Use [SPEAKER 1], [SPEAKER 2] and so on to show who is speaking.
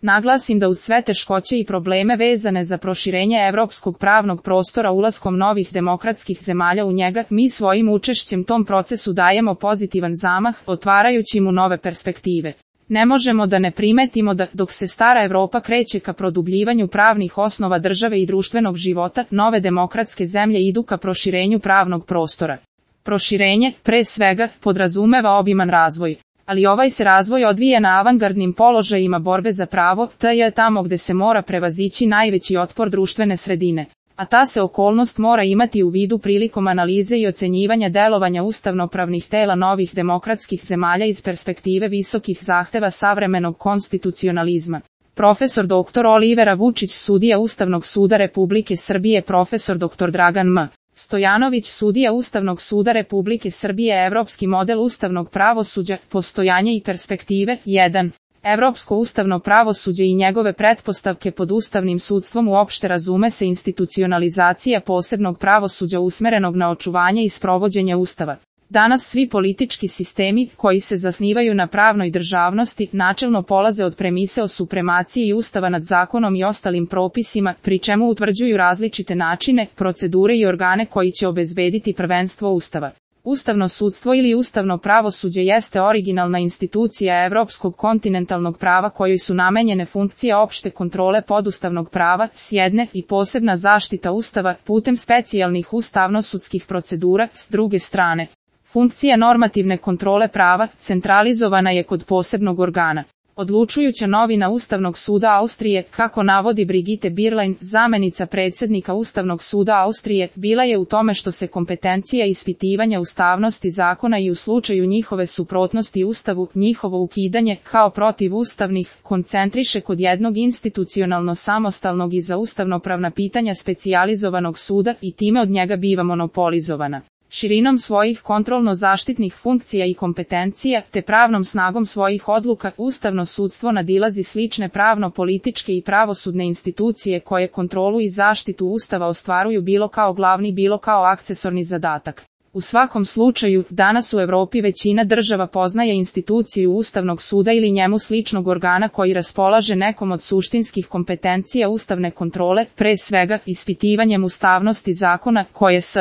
[SPEAKER 1] naglasim da uz sve teškoće i probleme vezane za proširenje evropskog pravnog prostora ulaskom novih demokratskih zemalja u njega, mi svojim učešćem tom procesu dajemo pozitivan zamah, otvarajući mu nove perspektive. Ne možemo da ne primetimo da, dok se stara Evropa kreće ka produbljivanju pravnih osnova države i društvenog života, nove demokratske zemlje idu ka proširenju pravnog prostora. Proširenje, pre svega, podrazumeva obiman razvoj. Ali ovaj se razvoj odvija na avangardnim položajima borbe za pravo, to je tamo gde se mora prevazići najveći otpor društvene sredine. A ta se okolnost mora imati u vidu prilikom analize i ocenjivanja delovanja ustavnopravnih tela novih demokratskih zemalja iz perspektive visokih zahteva savremenog konstitucionalizma. Profesor dr. Olivera Vučić, sudija Ustavnog suda Republike Srbije, profesor dr. Dragan M. Stojanović, sudija Ustavnog suda Republike Srbije, evropski model ustavnog pravosuđa, postojanje i perspektive, 1. Evropsko ustavno pravosuđe i njegove pretpostavke. Pod ustavnim sudstvom uopšte razume se institucionalizacija posebnog pravosuđa usmerenog na očuvanje i sprovođenje Ustava. Danas svi politički sistemi, koji se zasnivaju na pravnoj državnosti, načelno polaze od premise o supremaciji Ustava nad zakonom i ostalim propisima, pri čemu utvrđuju različite načine, procedure i organe koji će obezbediti prvenstvo Ustava. Ustavno sudstvo ili ustavno pravosuđe jeste originalna institucija evropskog kontinentalnog prava kojoj su namenjene funkcije opšte kontrole podustavnog prava, s jedne, i posebna zaštita Ustava, putem specijalnih ustavno-sudskih procedura, s druge strane. Funkcija normativne kontrole prava, centralizovana je kod posebnog organa. Odlučujuća novina Ustavnog suda Austrije, kako navodi Brigitte Bierlein, zamenica predsjednika Ustavnog suda Austrije, bila je u tome što se kompetencija ispitivanja ustavnosti zakona i u slučaju njihove suprotnosti Ustavu, njihovo ukidanje, kao protivustavnih, koncentriše kod jednog institucionalno samostalnog i za ustavnopravna pitanja specijalizovanog suda i time od njega biva monopolizovana. Širinom svojih kontrolno-zaštitnih funkcija i kompetencija, te pravnom snagom svojih odluka, ustavno sudstvo nadilazi slične pravno-političke i pravosudne institucije koje kontrolu i zaštitu Ustava ostvaruju bilo kao glavni bilo kao akcesorni zadatak. U svakom slučaju, danas u Evropi većina država poznaje instituciju Ustavnog suda ili njemu sličnog organa koji raspolaže nekom od suštinskih kompetencija ustavne kontrole, pre svega ispitivanjem ustavnosti zakona, koje s